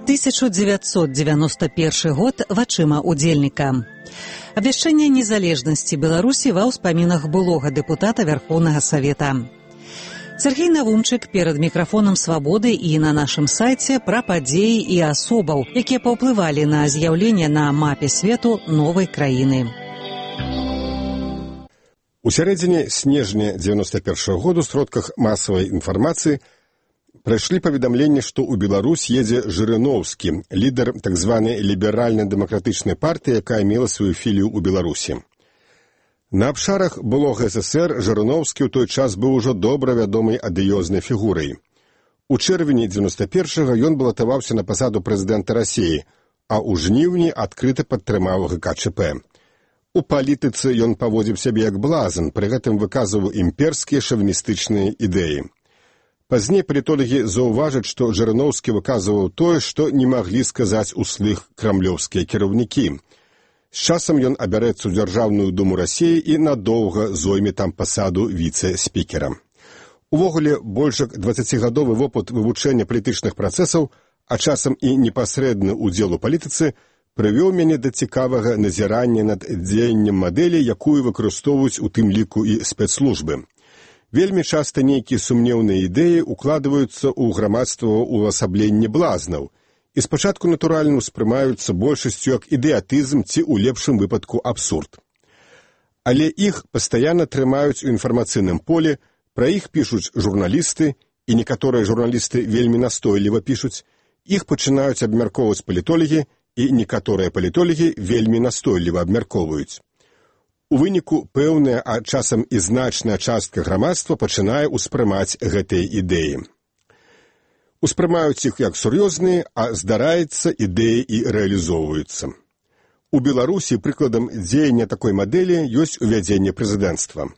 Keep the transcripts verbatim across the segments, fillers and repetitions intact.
тысяча девятьсот девяносто первый год вачыма удзельніка. Абвяшчэнне незалежнасці Беларусі ва ўспамінах былога дэпутата Верховнага Савета. Сергей Навумчык перад мікрафонам «Свабоды» і на нашым сайце пра падзеі і асобаў, якія паўплывалі на з'яўленне на мапе свету новай краіны. У сярэдзіне снежня девяносто первого году в сродках масавай інфармацыі прайшлі паведамленні, што ў Беларусь едзе Жырыноўскі, лідар так званай ліберальна-дэмакратычнай партыі, якая мела сваю філію ў Беларусі. На абшарах былога СССР Жырыноўскі ў той час быў ужо добра вядомай адыёзнай фігурай. У чэрвені девяносто первого ён балатаваўся на пасаду прэзідэнта Расіі, а ў жніўні адкрыта падтрымаў ГКЧП. У палітыцы ён паводзіў сябе як блазан, пры гэтым выказваў імперскія шавіністычныя ідэі. Пазней палітолагі заўважаць, што Жырыноўскі выказваў тое, што не маглі сказаць услых крамлёўскія кіраўнікі. З часам ён абярэцца ў Дзяржаўную думу Расіі і надоўга зойме там пасаду віцэ-спікера. Увогуле, больш як дваццацігадовы вопыт вывучэння палітычных працэсаў, а часам і непасрэдны ўдзел у палітыцы, прывёў мяне да цікавага назірання над дзеяннем мадэлі, якую выкарыстоўваюць у тым ліку і спецслужбы. Вельмі часта нейкія сумнеўныя ідэі укладваюцца ў грамадства ўвасабленне блазнаў і спачатку натуральна ўспрымаюцца большасцю як ідэатызм ці ў лепшым выпадку абсурд. Але іх пастаянна трымаюць у інфармацыйным полі, пра іх пішуць журналісты, і некаторыя журналісты вельмі настойліва пішуць, іх пачынаюць абмяркоўваць палітолагі, і некаторыя палітолагі вельмі настойліва абмяркоўваюць. У выніку пэўная, а часам і значная частка грамадства пачынае ўспрымаць гэтыя ідэі. Успрымаюць іх як сур'ёзныя, а здараецца, ідэі і рэалізоўваюцца. У Беларусі прыкладам дзеяння такой мадэлі ёсць увядзенне прэзідэнцтва.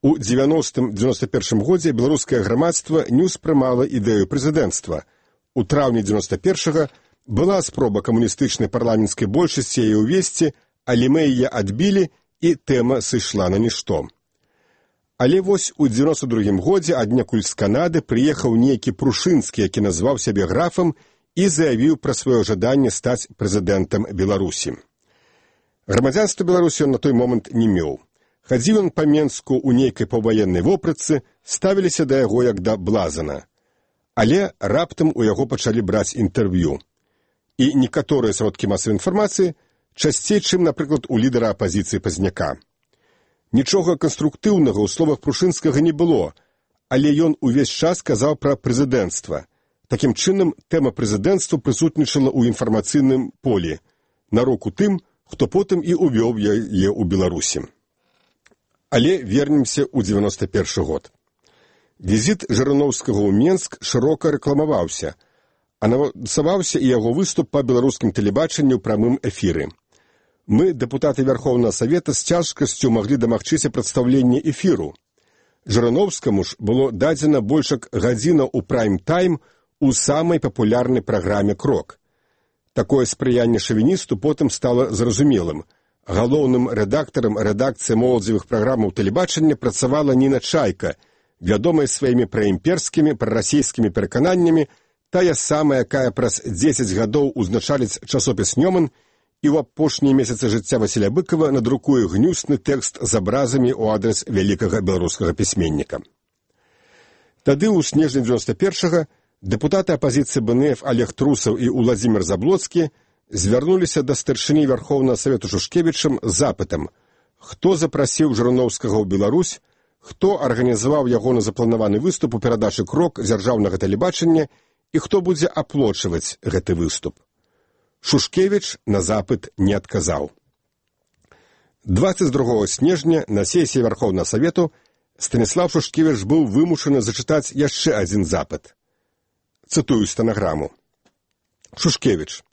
У девяностым — девяносто первым годзе беларускае грамадства не ўспрымала ідэю прэзідэнцтва. У траўні девяносто первого была спроба камуністычнай парламенцкай большасці яе ўвесці, але мы яе адбілі, і тэма сышла на нішто. Але вось у девяносто другім годзе аднекуль з Канады прыехаў нейкі Прушынскі, які назваў сябе графам і заявіў пра сваё жаданне стаць прэзідэнтам Беларусі. Грамадзянства Беларусі ён на той момант не меў. Хадзіў ён па Менску ў нейкай паўваеннай вопратцы, ставіліся да яго як да блазана. Але раптам у яго пачалі браць інтэрв'ю. І некаторыя сродкі масавай інфармацыі часцей, чым, напрыклад, у лідара апазіцыі Пазняка. Нічога канструктыўнага ў словах Прушынскага не было, але ён увесь час казаў пра прэзідэнцтва. Такім чынам, тэма прэзідэнцтва прысутнічала ў інфармацыйным полі, на руку тым, хто потым і увёў яе ў Беларусі. Але вернемся ў девяносто первый год. Візіт Жырыноўскага ў Менск шырока рэкламаваўся, анансаваўся і яго выступ па беларускім тэлебачанні ў прамым эфіры. Мы, дэпутаты Верховнага Савета, з цяжкасцю маглі дамагчыся прадстаўлення эфіру. Жырыноўскаму ж было дадзена больш як гадзіна ў прайм-тайм у самай папулярнай праграме «Крок». Такое спрыянне шавіністу потым стала зразумелым. Галоўным рэдактарам рэдакцыі моладзевых праграмаў тэлебачання працавала Ніна Чайка, вядомая сваімі праімперскімі, прарасійскімі перакананнямі, тая самая, якая праз дзесяць гадоў узначаліць часопіс «Нёман» і ў апошнія месяцы жыцця Васіля Быкава надрукуе гнюсны тэкст з абразамі ў адрас вялікага беларускага пісьменніка. Тады ў снежні девяносто первого дэпутаты апазіцыі БНФ Олег Трусаў і Уладзімір Заблоцкі звярнуліся да старшыні Верховнага Савету Шушкевічам з запытам, хто запрасіў Жырыноўскага ў Беларусь, хто арганізаваў ягоны запланаваны выступ у перадачы «Крок» дзяржаўнага тэлебачання і хто будзе аплочваць гэты выступ. Шушкевіч на запыт не адказаў. двадцать другого снежня на сесіі Верховнага Савету Станіслав Шушкевіч быў вымушаны зачытаць яшчэ адзін запыт. Цытую стэнаграму. Шушкевіч.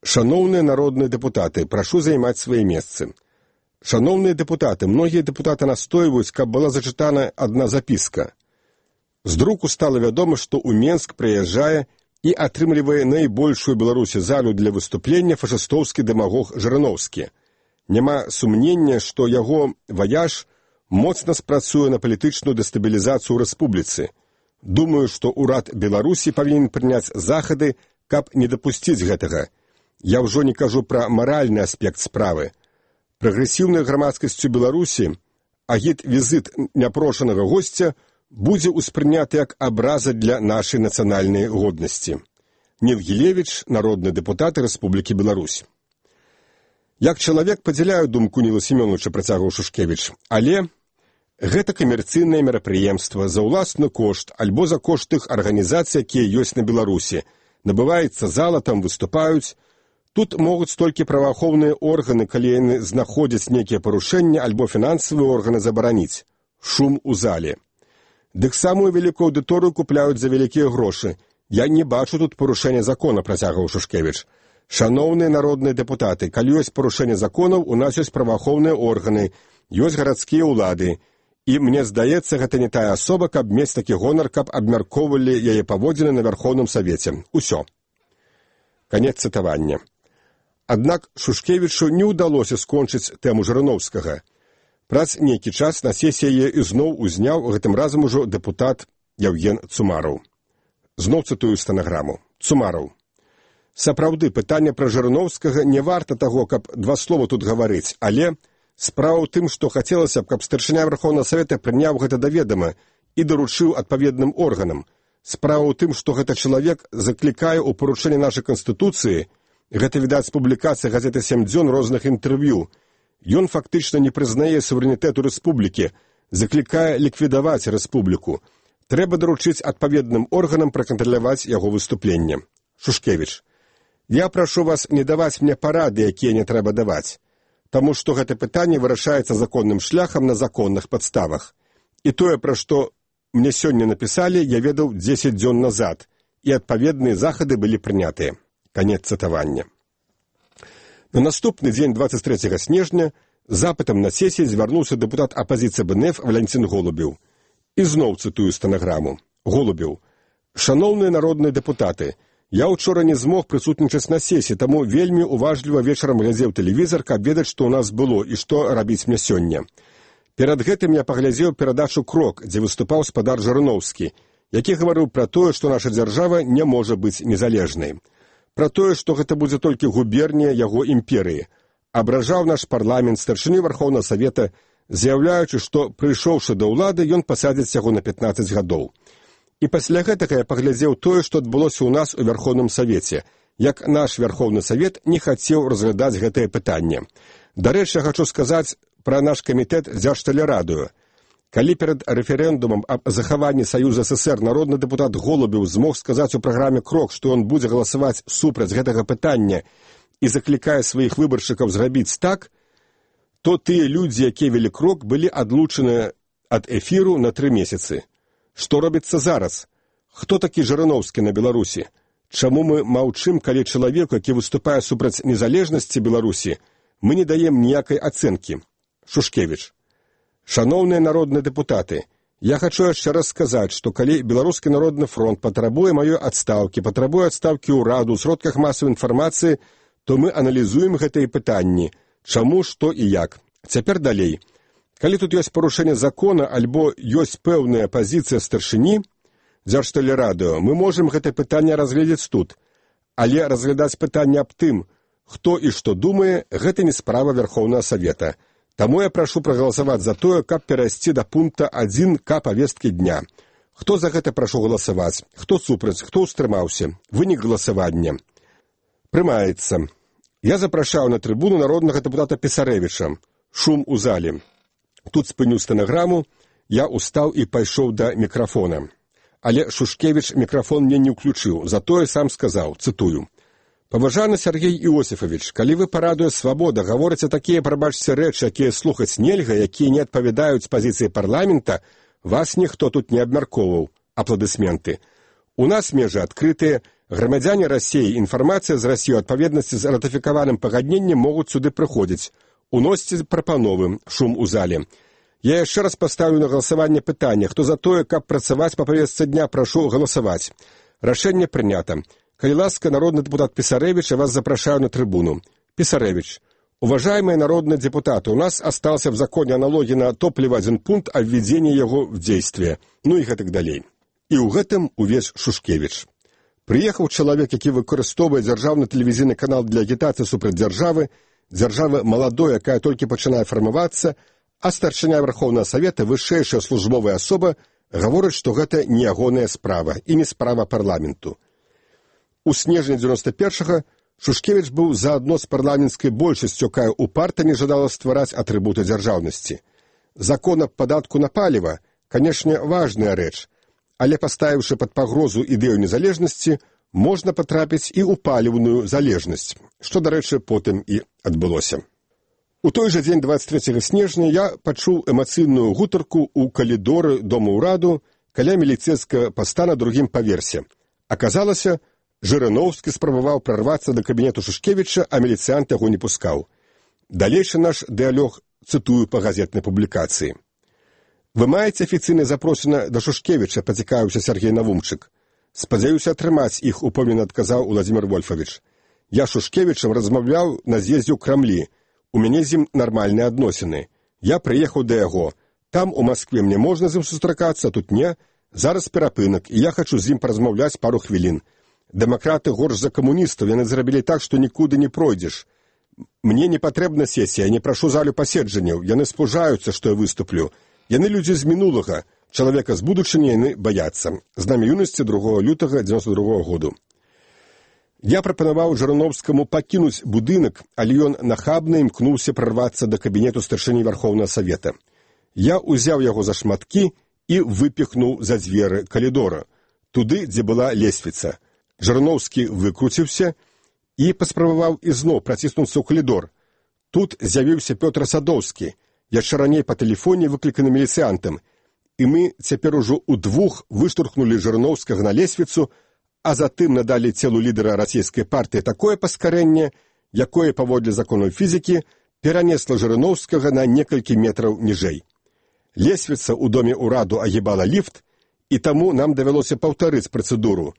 Шаноўныя народныя дэпутаты, прашу займаць свае месцы. Шаноўныя дэпутаты, многія дэпутаты настойваюць, каб была зачытана адна запіска. З друку стала вядома, што ў Менск прыязджае і атрымлівае найбольшую Беларусі залю для выступлення фашыстоўскі дэмагог Жырыноўскі. Няма сумнення, што яго ваяж моцна спрацуе на палітычную дэстабілізацыю ў рэспубліцы. Думаю, што ўрад Беларусі павінен прыняць захады каб не дапусціць гэтага. Я ўжо не кажу пра маральны аспект справы. Прагрэсіўнай грамадскасцю Беларусі агіт-візіт няпрошанага госця будзе ўспрыняты як абраза для нашай нацыянальнай годнасці. Невгілевіч, народны дэпутат Рэспублікі Беларусь. Як чалавек падзяляю думку Ніла Семёновича, працягваў Шушкевіч, але гэта камерцыйнае мерапрыемства за ўласны кошт альбо за кошт тых арганізацый, якія ёсць на Беларусі. Набываецца зала, там выступаюць. Тут могуць толькі праваахоўныя органы, калі яны знаходзяць нейкія парушэнні, альбо фінансавыя органы забараніць. Шум у зале. Дык самую вялікую аўдыторыю купляюць за вялікія грошы. Я не бачу тут парушэння закона, працягваў Шушкевіч. Шаноўныя народныя дэпутаты, калі ёсць парушэнне законаў, у нас ёсць праваахоўныя органы, ёсць гарадскія ўлады. І мне здаецца, гэта не тая асоба, каб мець такі гонар, каб абмяркоўвалі яе паводзіны на Вярхоўным Савеце. Усё. Канец цытавання. Аднак Шушкевічу не ўдалося скончыць тэму Жырыноўскага. Праз нейкі час на сесіі яе ізноў узняў, гэтым разам ужо дэпутат Яўген Цумараў. Зноў цытую стэнаграму. Цумараў. Сапраўды, пытанне пра Жырыноўскага не варта таго, каб два слова тут гаварыць, але справа ў тым, што хацелася б, каб старшыня Верхоўнага Савета прыняў гэта да ведама і даручыў адпаведным органам. Справа ў тым, што гэта чалавек заклікае ў парушэнне нашай Канстытуцыі. Гэта, відаць, публікацыя газеты «Сем дзён» розных інтэрв'ю. Ён фактычна не прызнае суверэнітэту рэспублікі, заклікае ліквідаваць рэспубліку. Трэба даручыць адпаведным органам пракантраляваць яго выступленне. Шушкевіч. Я прашу вас не даваць мне парады, якія не трэба даваць, таму што гэта пытанне вырашаецца законным шляхам на законных падставах. І тое, пра што мне сёння напісалі, я ведаў дзесяць дзён назад, і адпаведныя захады былі прынятыя. Канец цытавання. На наступны дзень, дваццаць трэцяга снежня, запытам на сесіі звярнуўся дэпутат апазіцыі бэ эн эф Валянцін Голубеў. І зноў цытую стэнаграму. Голубеў. Шаноўныя народныя дэпутаты, я ўчора не змог прысутнічаць на сесіі, таму вельмі уважліва вечарам глядзеў тэлевізар, каб ведаць, што ў нас было і што рабіць мне сёння. Перад гэтым я паглядзеў перадачу «Крок», дзе выступаў спадар Жырыноўскі, які гаварыў пра тое, што наша дзяржава не можа быць незалежнай. Пра тое, што гэта будзе толькі губернія яго імперыі. Абражаў наш парламент, старшыню Вярхоўнага Савета, заяўляючы, што, прыйшоўшы да ўлады, ён пасадзіць яго на пятнаццаць гадоў. І пасля гэтага я паглядзеў тое, што адбылося ў нас у Вярхоўным Савеце, як наш Вярхоўны Савет не хацеў разглядаць гэтае пытанне. Дарэчы, я хачу сказаць пра наш камітэт Дзяржтэлерадыё. Калі перад рэферэндумам аб захаванні Саюза СССР народны дэпутат Голубеў змог сказаць у праграме «Крок», што ён будзе галасаваць супраць гэтага пытання і заклікае сваіх выбаршчыкаў зрабіць так, то тыя людзі, якія вялі «Крок», былі адлучаны ад эфіру на тры месяцы. Што робіцца зараз? Хто такі Жырыноўскі на Беларусі? Чаму мы маўчым, калі чалавеку, які выступае супраць незалежнасці Беларусі, мы не даем ніякай ацэнкі? Шушкевіч. Шаноўныя народныя дэпутаты, я хачу яшчэ раз сказаць, што калі Беларускі народны фронт патрабуе маёй адстаўкі, патрабуе адстаўкі ўраду ў сродках масавай інфармацыі, то мы аналізуем гэтыя пытанні, чаму, што і як. Цяпер далей. Калі тут ёсць парушэнне закона альбо ёсць пэўная пазіцыя старшыні Дзяржтэлерадыё, мы можам гэтае пытанне разгледзець тут, але разглядаць пытанне аб тым, хто і што думае, гэта не справа Вярхоўнага Савета. Таму я прашу прагаласаваць за тое, каб перайсці да пункта адзін ка павесткі дня. Хто за гэта прашу галасаваць? Хто супраць? Хто ўстрымаўся? Вынік галасавання. Прымаецца. Я запрашаю на трыбуну народнага дэпутата Пісарэвіча. Шум у зале. Тут спыню стэнаграму, я устаў і пайшоў да мікрафона. Але Шушкевіч мікрафон мне не ўключыў, затое сам сказаў, цытую. Паважаны Сергей Іосифович, калі вы парадуе свабода, гаворыце такія, прабачце, рэчы, якія слухаць нельга, якія не адпавядаюць пазіцыі парламента, вас ніхто тут не абмяркоўваў. Апладысменты. У нас межы адкрытыя, грамадзяне Расіі, інфармацыя з Расіі ў адпаведнасці з ратыфікаваным пагадненнем могуць сюды прыходзіць. Уносьце прапановы, шум у зале. Я яшчэ раз паставлю на галасаванне пытання, хто за тое, каб працаваць па павестцы дня, прашу галасаваць. Рашэнне прынята. Калі ласка, народный депутат Писаревич, я вас запрашаю на трибуну. Писаревич, уважаемые народные депутаты, у нас остался в законе аналогии на топливо один пункт о введении его в действие, ну и так далее. И у гэтым увесь Шушкевич. Прыехаў чалавек, які выкарыстоўвае дзяржаўны тэлевізійны канал для агітацыі супраць дзяржавы, дзяржавы маладой, якая толькі пачынае фармавацца, а старшыня Верховнага Савета, вышэйшая службовая асоба, гаворыць, што гэта не ягоная справа і не справа парламенту. У снежні дзевяносто першага Шушкевіч быў заадно з парламенцкай большасцю, якая упарта не жадала ствараць атрыбуты дзяржаўнасці. Закон аб падатку на паліва, канешне, важная рэч, але паставіўшы пад пагрозу ідэю незалежнасці, можна патрапіць і ў паліўную залежнасць, што, дарэчы, потым і адбылося. У той жа дзень дваццаць трэцяга снежня я пачуў эмацыйную гутарку ў калідоры Дома ўраду каля міліцэйскага паста на другім паверсе. Аказалася, Жырыноўскі спрабаваў прарвацца да кабінету Шушкевіча, а міліцыянт яго не пускаў. Далейшы наш дыялог цытую па газетнай публікацыі. «Вы маеце афіцыйна запросена да Шушкевіча», пацікаўся Сергей Навумчык. «Спадзяюся атрымаць іх», упэўнена адказаў Уладзімір Вольфавіч. «Я з Шушкевічам размаўляў на з'ездзе ў Крамлі. У мяне з ім нармальныя адносіны. Я прыехаў да яго. Там у Маскве мне можна з ім сустракацца, тут не. Зараз перапынак, і я хачу з ім паразмаўляць пару хвілін. Дэмакраты горш за камуністаў, яны зрабілі так, што нікуды не пройдзеш. Мне не патрэбна сесія, не прашу залю паседжанняў, яны спужаюцца, што я выступлю. Яны людзі з мінулага, чалавека з будучыні яны баяцца. Знамя юнасці другога лютага дзевяносто другога году. Я прапанаваў Жырыноўскаму пакінуць будынак, але ён нахабна імкнуўся прарвацца да кабінету старшыні Верховнага Савета. Я ўзяў яго за шматкі і выпіхнуў за дзверы калідора, туды, дзе была лесвіца. Жырыноўскі выкруціўся і паспрабаваў ізноў праціснуцца ў калідор. Тут з'явіўся Пётр Садоўскі, яшчэ раней па тэлефоне выкліканы міліцыянтам, і мы цяпер ужо ўдвух выштурхнули Жырыноўскага на лесвіцу, а затым надалі целу лідара расійскай партыі такое паскарэнне, якое, паводле законаў фізікі, перанесла Жырыноўскага на некалькі метраў ніжэй. Лесвіца ў доме ўраду агібала ліфт, і таму нам давялося паўтарыць працэдуру.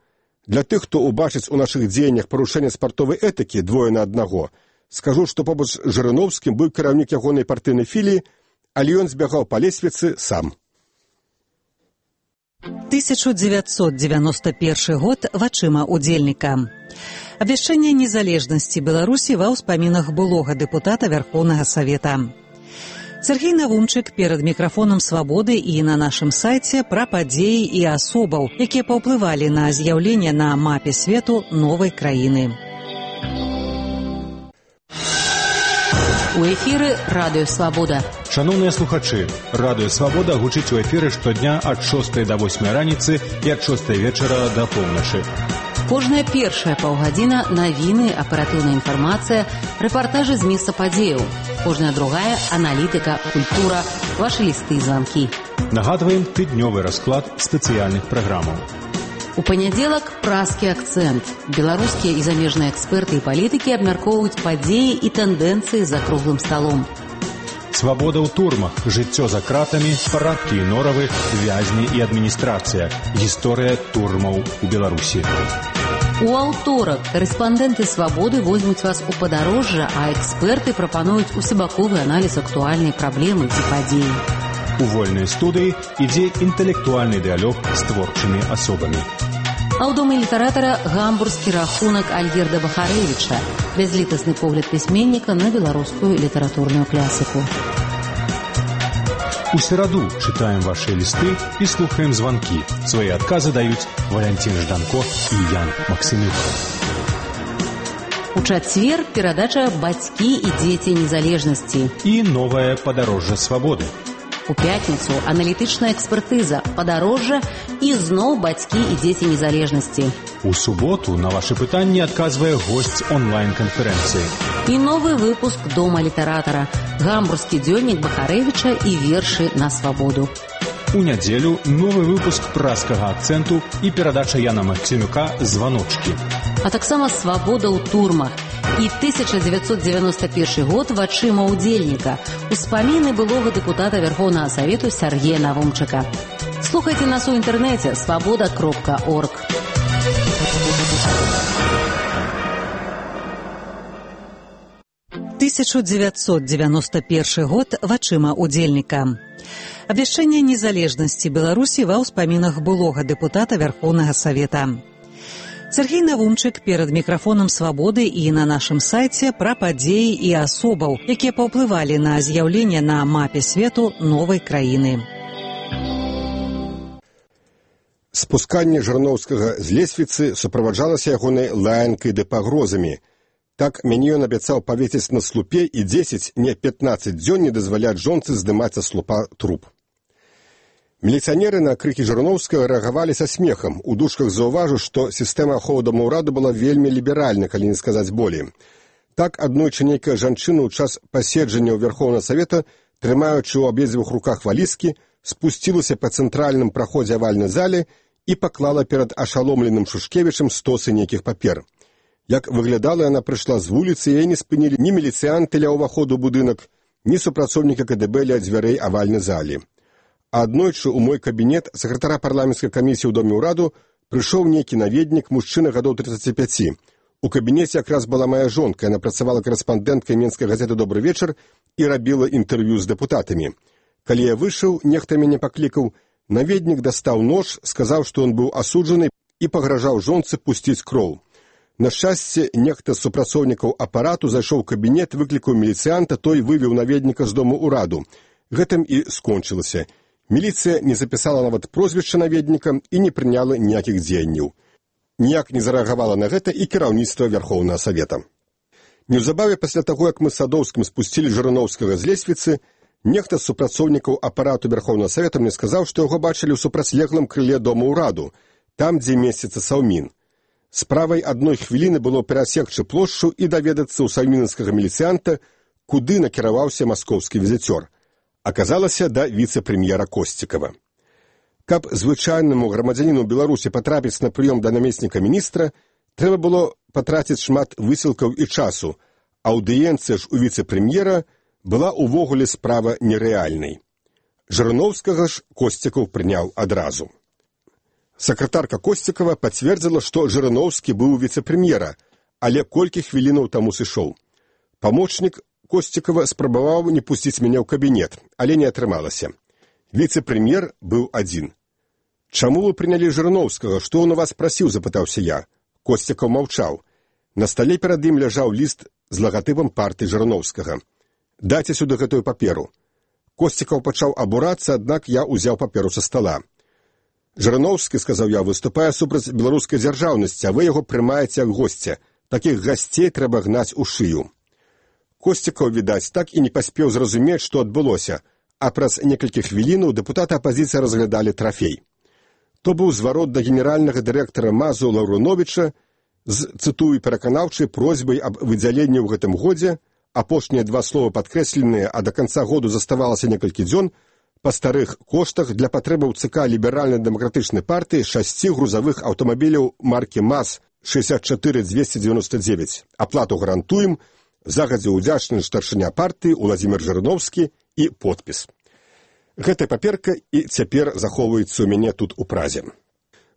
Для тых, хто убачыць у нашых дзеяннях парушэнне спартовай этыкі двое на аднаго, скажу, што побач з Жырыноўскім быў кіраўнік ягонай партыйнай філіі, але ён збягаў па лесвіцы сам. тысяча дзевяцьсот дзевяносто першы год вачыма удзельніка. Абвяшчэнне незалежнасці Беларусі ва ўспамінах былога дэпутата Верховнага Савета. Сергей Навумчык перад мікрафонам «Свабоды» і на нашым сайце пра падзеі і асобаў, якія паўплывалі на з'яўленне на мапе свету новай краіны. У эфіры радыё «Свабода». Шановныя слухачы, радыё «Свабода» гучыць у эфіры штодня ад шостай да восьмай раніцы і ад шостай вечара да поўначы. Кожная першая паўгадзіна навіны, аператыўная інфармацыя, рэпартажы з месца падзеяў. Кожная другая аналітыка, культура, вашы лісты і званкі. Нагадваем тыднёвы расклад спецыяльных праграмаў. У панядзелак празкі акцэнт. Беларускія і замежныя эксперты і палітыкі абмяркоўваюць падзеі і тэндэнцыі за круглым сталом. Свабода ў турмах, жыццё за кратамі, парадкі і норавы, вязні і адміністрацыя. Гісторыя турмаў у Беларусі. У аўторак карэспандэнты «Свабоды» возьмуць вас у падарожжа, а эксперты прапануюць усебаковы аналіз актуальнай праблемы ці падзеі. У вольнай студыі ідзе інтэлектуальны дыялог з творчымі асобамі. А ў доме літаратара гамбургскі рахунак Альгерда Бахарэвіча, бязлітасны погляд пісьменніка на беларускую літаратурную класіку. У сераду чытаем ваши лісты і слухаем званкі. Свае адказы даюць Валянцін Жданко і Ян Максимюк. У чацвер перадача «Бацькі і дзеці незалежнасці» і новае падарожжа свабоды. У пятніцу аналітычная экспертыза, падарожжа і зноў «Бацькі і дзеці незалежнасці». У суботу на ваши пытанні адказвае госць онлайн-канферэнцыі. І новы выпуск дома літаратара, гамбургскі дзённік Бахарэвіча і вершы на свабоду. У нядзелю новы выпуск празкага акцэнту і перадача Яна Максимюка «Званочкі». А таксама «Свабода ў турмах» і тысяча дзевяцьсот дзевяносто першы год вачыма удзельніка. Успаміны былога дэпутата Верховнага Савету Сергея Навумчыка. Слухайце нас у інтэрнэце свабода кропка орг. тысяча дзевяцьсот дзевяносто першы год вачыма удзельніка. Абвяшчэнне незалежнасці Беларусі ва ўспамінах былога дэпутата Верховнага Савета. Сергей Навумчык перад мікрафонам «Свабоды» і на нашым сайце пра падзеі і асобаў, якія паўплывалі на з'яўленне на мапе свету новай краіны. Спусканне Жырноўскага з лесвіцы суправаджалася ягонай лаянкай ды пагрозамі. Так мяне ён абяцаў павесіць на слупе і дзесяць, не пятнаццаць дзён не дазваляць жонцы здымаць са слупа труп. Міліцыянеры на крыкі Жырноўскага рэагавалі са смехам. У дужках заўважу, што сістэма аховы домаўраду была вельмі ліберальна, калі не сказаць болей. Так аднойчы нейкая жанчына ў час паседжання ў Верхоўнага Савета, трымаючы ў абедзвюх руках валізкі, спусцілася па цэнтральным праходзе авальнай зале і паклала перад ашаломленым Шушкевічам стосы нейкіх папер. Як выглядала, яна прыйшла з вуліцы, яе не спынілі ні міліцыянты ля ўваходу ў будынак, ні супрацоўніка ка дэ бэ ля дзвярэй авальнай залі. А аднойчы ў мой кабінет сакратара парламенцкай камісіі ў доме ўраду прыйшоў нейкі наведнік, мужчына гадоў трыццаці пяці. У кабінеце якраз была мая жонка, яна працавала карэспандэнткай менскай газеты «Добры вечар» і рабіла інтэрв'ю з дэпутатамі. Калі я выйшаў, нехта мяне паклікаў, наведнік дастаў нож, сказаў, што ён быў асуджаны і пагражаў жонцы пусціць кроў. На шчасце, нехта з супрацоўнікаў апарату зайшоў у кабінет, выклікаў міліцыянта, той вывеў наведніка з дому ўраду. Гэтым і скончылася. Міліцыя не запісала нават прозвішча наведніка і не прыняла ніякіх дзеянняў. Ніяк не зарэагавала на гэта і кіраўніцтва Верхоўнага Савета. Неўзабаве пасля таго, як мы з Садоўскім спусцілі Жырноўскага з лесвіцы, нехта з супрацоўнікаў апарату Верхоўнага Савета мне сказаў, што яго бачылі ў супрацьлеглым крыле дома ўраду, там, дзе месціцца Саўмін. Справай адной хвіліны было перасекчы плошчу і даведацца ў саўмінскага міліцыянта, куды накіраваўся маскоўскі візіцёр. Аказалася да віцэ-прэм'ера Косцікава. Каб звычайнаму грамадзяніну Беларусі патрапіць на прыём да намесніка міністра, трэба было патраціць шмат высілкаў і часу, аўдыенцыя ж у віцэ-прэм'ера была ўвогуле справа нерэальнай. Жырноўскага ж Косцікаў прыняў адразу. Сакратарка Косцікава пацвердзіла, што Жырноўскі быў віцэ-прэм'ера, але колькі хвілінаў таму сышоў. Памочнік Косцікава спрабаваў не пусціць мяне ў кабінет, але не атрымалася. Віцэ-прэм'ер быў адзін. «Чаму вы прынялі Жырноўскага? Што ён у вас прасіў?» – запытаўся я. Косцікаў маўчаў. На стале перад ім ляжаў ліст з лагатыпам партыі Жырноўскага. «Дайце сюды гэтую паперу». Косцікаў пачаў абурацца, аднак я ўзяў паперу са стала. «Жырноўскі, – сказаў я, – выступае супраць беларускай дзяржаўнасці, а вы яго прымаеце як госця. Такіх гасцей трэба гнаць у шыю». Косцікаў, відаць, так і не паспеў зразумець, што адбылося, а праз некалькі хвілінаў дэпутаты апазіцыі разглядалі трафей. То быў зварот да генеральнага дырэктара МАЗу Лаўруновіча з, цытую, пераканаўчай просьбай аб выдзяленні ў гэтым годзе, апошнія два словы падкрэсленыя, а да канца году заставалася некалькі дзён, па старых коштах для патрэбаў ЦК ліберальна-дэмакратычнай партыі шасці грузавых аўтамабіляў маркі МАЗ шэсцьдзесят чатыры дзвесце дзевяносто дзевяць. Аплату гарантуем, загадзя ўдзячны старшыня партыі Уладзімір Жырноўскі і подпіс. Гэтая паперка і цяпер захоўваецца ў мяне тут у Празе.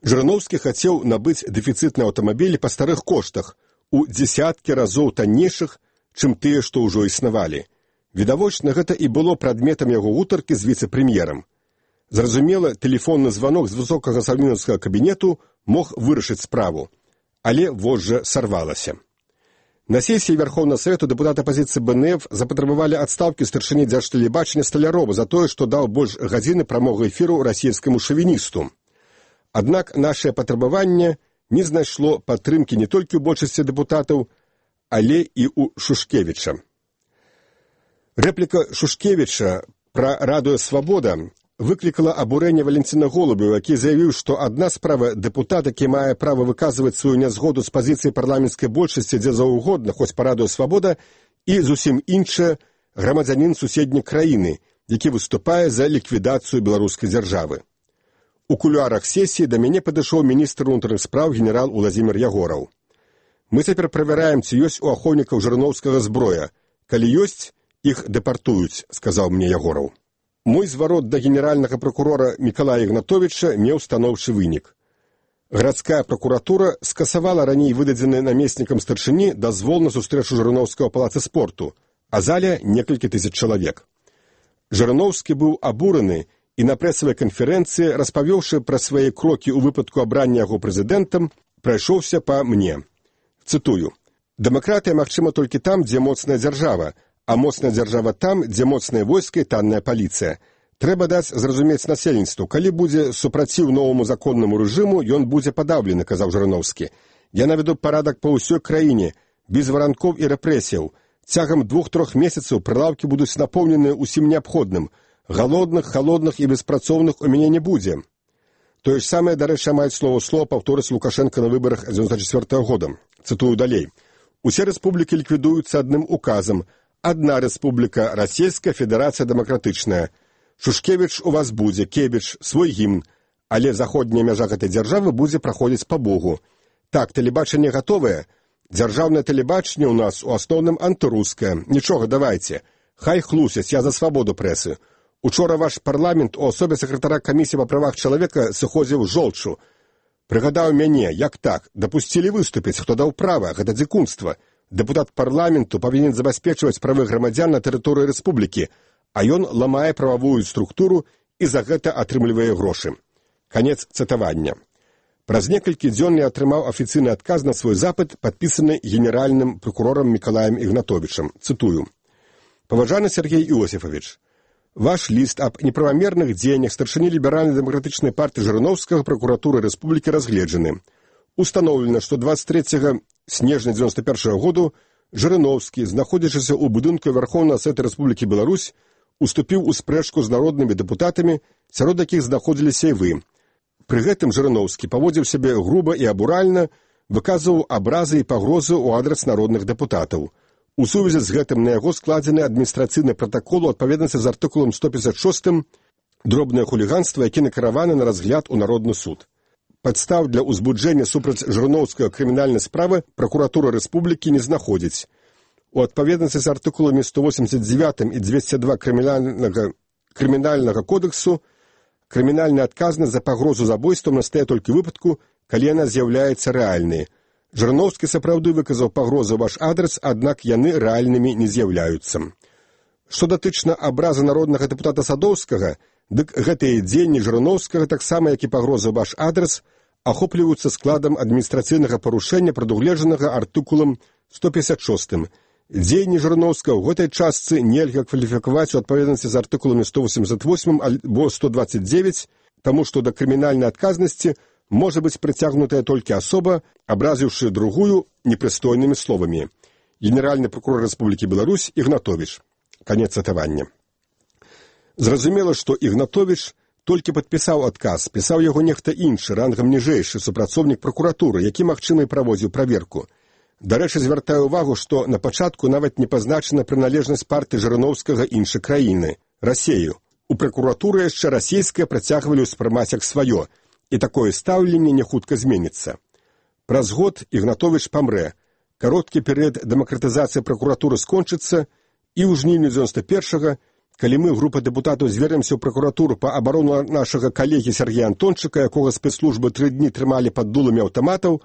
Жырноўскі хацеў набыць дэфіцытныя аўтамабілі па старых коштах, у дзесяткі разоў таннейшых, чым тыя, што ўжо існавалі. Відавочна, гэта і было прадметам яго гутаркі з віцэ-прэм'ерам. Зразумела, тэлефонны званок з высокага саўмінаўскага кабінету мог вырашыць справу, але вожжа сарвалася. На сесіі Верхоўнага Савету дэпутаты апазіцыі бэ эн эф запатрабавалі адстаўкі старшыні дзяржтэлебачання Сталярова за тое, што даў больш гадзіны прамога эфіру расійскаму шавіністу. Аднак нашае патрабаванне не знайшло падтрымкі не толькі ў большасці дэпутатаў, але і ў Шушкевіча. Рэпліка Шушкевіча пра радыё «Свабода» выклікала абурэнне Валентина Голубева, які заявіў, што адна справа дэпутат, які мае права выказваць сваю нязгоду з пазіцыі парламенцкай большасці дзе заўгодна, хоць па радыё «Свабода», і зусім іншая грамадзянін суседняй краіны, які выступае за ліквідацыю беларускай дзяржавы. У кулуарах сесіі да мяне падышоў міністр унутраных спраў генерал Уладзімір Ягораў. «Мы цяпер правяраем, ці ёсць у ахоўнікаў Жырноўскага зброя. Калі ёсць, іх дэпартуюць», – сказаў мне Ягораў. Мой зварот да генеральнага пракурора Мікалая Ігнатовіча меў станоўчы вынік. Гарадская пракуратура скасавала раней выдадзены намеснікам старшыні дазвол на сустрэчу Жырноўскага ў палацы спорту, а зале некалькі тысяч чалавек. Жырноўскі быў абураны і на прэсавай канферэнцыі, распавёўшы пра свае крокі ў выпадку абрання яго прэзідэнтам, прайшоўся па мне. Цытую. «Дэмакратыя магчыма толькі там, дзе моцная дзяржава, а моцная дзяржава там, дзе моцнае войска і танная паліцыя. Трэба даць зразумець насельніцтву, калі будзе супраціў новаму законнаму рэжыму, ён будзе падаўлены», – казаў Жырыноўскі. «Я наведу парадак па ўсёй краіне, без варанкоў і рэпрэсіяў. Цягам двух-трох месяцаў прылаўкі будуць напоўнены ўсім неабходным. Галодных, халодных і беспрацоўных у мяне не будзе». Тое ж самае, дарэчы, амаль слова ў слова паўторыць Лукашенко на выбарах дзевяносто четвёртого года. Цытую далей. «Усе рэспублікі ліквідуюцца адным указам. Адна рэспубліка Расійская Федэрацыя Дэмакратычная. Шушкевіч у вас будзе, Кебіч, свой гімн, але заходняя мяжа гэтай дзяржавы будзе праходзіць па Богу. Так, тэлебачанне гатовае. Дзяржаўнае тэлебачанне ў нас у асноўным антырускае. Нічога, давайце. Хай хлусяць, я за свабоду прэсы. Учора ваш парламент у асобе сакратара камісіі па правах чалавека сыходзіў жолчу. Прыгадаў мяне, як так, дапусцілі выступіць, хто даў права, гэта дзікунства. Дэпутат парламенту павінен забяспечваць правы грамадзян на тэрыторыі рэспублікі, а ён ламае прававую структуру і за гэта атрымлівае грошы». Канец цытавання. Праз некалькі дзён я атрымаў афіцыйны адказ на свой запыт, падпісаны генеральным прокурорам Мікалаем Ігнатовічам. Цытую. «Паважаны Сергей Иосифович, ваш ліст аб неправамерных дзеяннях старшыні ліберальна-дэмакратычнай партыі Жырыноўскага прокуратуры рэспублікі разгледжаны. Установлена, што двадцать третьего снежня девяносто первого году Жырыноўскі, знаходзячыся ў будынку Верховнага Савета Рэспублікі Беларусь, уступіў у спрэчку з народнымі дэпутатамі, сярод якіх знаходзіліся і вы. Пры гэтым Жырыноўскі паводзіў сябе груба і абуральна, выказваў абразы і пагрозы ў адрас народных дэпутатаў. У сувязі з гэтым на яго складзены адміністрацыйны пратакол у адпаведнасці з артыкулам сто пятьдесят шесть дробнае хуліганства, які накіраваны на разгляд у Народны суд. Падстаў для ўзбуджэння супраць Жырыноўскага крымінальнай справы пракуратура рэспублікі не знаходзіць. У адпаведнасці з артыкуламі сто восемьдесят девять і двести два крымінальнага, крымінальнага кодексу крымінальная адказнасць за пагрозу забойствам настае толькі выпадку, калі яна з'яўляецца рэальнай. Жырыноўскі сапраўды выказаў пагрозы ваш адрас, аднак яны рэальнымі не з'яўляюцца. Што датычна абраза народнага дэпутата Садоўскага, дык гэтыя дзеянні Жырыноўскага, таксама як і пагрозы ваш адрас, ахопліваюцца складам адміністрацыйнага парушэння, прадугледжанага артыкулам сто пятьдесят шесть. Дзеянні Жырыноўскага ў гэтай частцы нельга кваліфікаваць у адпаведнасці з артыкуламі сто восемьдесят восемь або сто двадцать девять, таму што да крымінальнай адказнасці можа быць прыцягнутая толькі асоба, абразіўшы другую непрыстойнымі словамі. Генеральны прокурор Рэспублікі Беларусь Ігнатовіч. Канец цытавання. Зразумела, што Ігнатовіч толькі падпісаў адказ, пісаў яго нехта іншы, рангам ніжэйшы супрацоўнік пракуратуры, які, магчыма, і праводзіў праверку. Дарэчы, звяртаю ўвагу, што на пачатку нават не пазначана прыналежнасць партыі Жырыноўскага іншай краіны, Расею. У пракуратуры яшчэ расійская працягвалі ўспрымаць як сваё, і такое стаўленне не хутка зменіцца. Праз год Ігнатовіч памрэ, кароткі перыяд дэмакратызацыі пракуратуры скончыцца, і ў жніўні девяносто первого, калі мы, група дэпутатаў, звернемся ў пракуратуру па абарону нашага калегі Сергея Антончыка, якога спецслужбы тры дні трымалі пад дуламі аўтаматаў,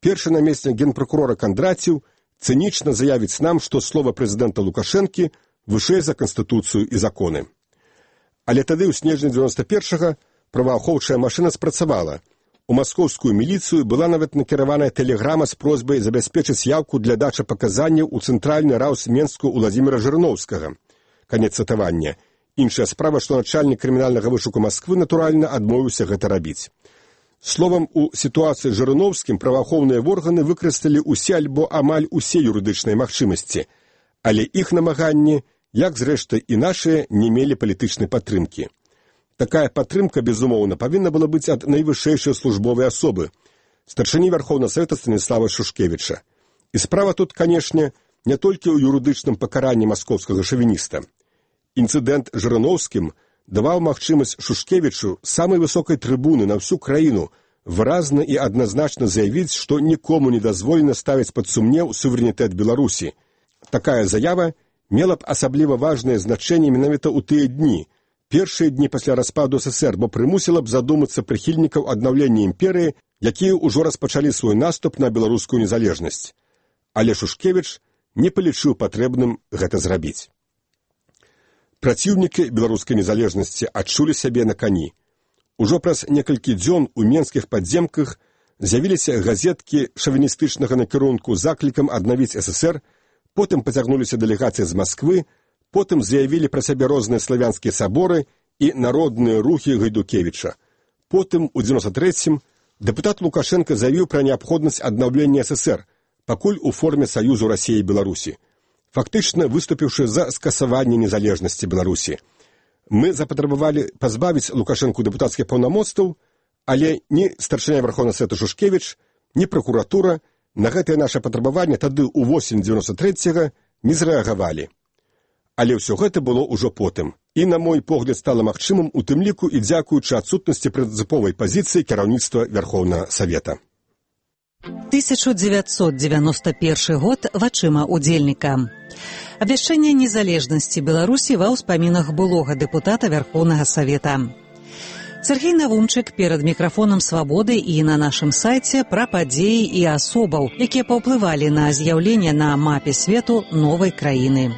першы намеснік генпракурора Кандраціў цынічна заявіць нам, што слова прэзідэнта Лукашэнкі вышэй за Канстытуцыю і законы. Але тады ў снежні девяносто первого праваахоўчая машына спрацавала. У маскоўскую міліцыю была нават накіраваная тэлеграма з просьбай забяспечыць яўку для дачы паказанняў у цэнтральны раўс Менску Уладзіміра Жырыноўскага. Канец цытавання. Іншая справа, што начальнік крымінальнага вышуку Масквы, натуральна, адмовіўся гэта рабіць. Словам, у сітуацыі з Жырыноўскім праваахоўныя органы выкарысталі ўсе альбо амаль усе юрыдычныя магчымасці, але іх намаганні, як зрэшты і нашыя, не мелі палітычнай падтрымкі. Такая падтрымка, безумоўна, павінна была быць ад найвышэйшай службовай асобы, старшыні Верховнага Савета Станіслава Шушкевіча. І справа тут, канешне, не толькі ў юрыдычным пакаранні маскоўскага шавініста. Інцыдэнт з Жырыноўскім даваў магчымасць Шушкевічу самай высокай трыбуны на всю краіну выразна і адназначна заявіць, што нікому не дазволена ставіць пад сумнеў суверэнітэт Беларусі. Такая заява мела б асабліва важнае значэнне менавіта ў тыя дні, першыя дні пасля распаду СССР, бо прымусіла б задумацца прыхільнікаў аднаўлення імперыі, якія ўжо распачалі свой наступ на беларускую незалежнасць. Але Шушкевіч не палічыў патрэбным гэта зрабіць. Праціўнікі беларускай незалежнасці адчулі сябе на кані. Ужо праз некалькі дзён у менскіх падземках з'явіліся газеткі шавіністычнага накірунку з заклікам аднавіць ССР, потым пацягнуліся дэлегацыі з Масквы, потым заявілі пра сябе розныя славянскія саборы і народныя рухі Гайдукевіча. Потым, у дзевяносто трэцім, дэпутат Лукашенко заявіў пра неабходнасць аднаўлення ССР, пакуль у форме Саюзу Расіі і Беларусі, фактычна выступіўшы за скасаванне незалежнасці Беларусі. Мы запатрабавалі пазбавіць Лукашэнку дэпутацкіх паўнамоцтваў, але ні старшыня Верховнага Савета Шушкевіч, ні пракуратура на гэтае наша патрабаванне тады ў восень дзевяносто трэцяга не зрэагавалі. Але ўсё гэта было ўжо потым. І, на мой погляд, стала магчымым у тым ліку і дзякуючы адсутнасці прынцыповай пазіцыі кіраўніцтва Верховнага Савета. тысяча девятьсот девяносто первый год вачыма удзельніка. Абвяшчэнне незалежнасці Беларусі ва ўспамінах былога дэпутата Верховнага Савета. Сергей Навумчык перад мікрафонам «Свабоды» і на нашым сайце пра падзеі і асобаў, якія паўплывалі на з'яўленне на мапе свету новай краіны.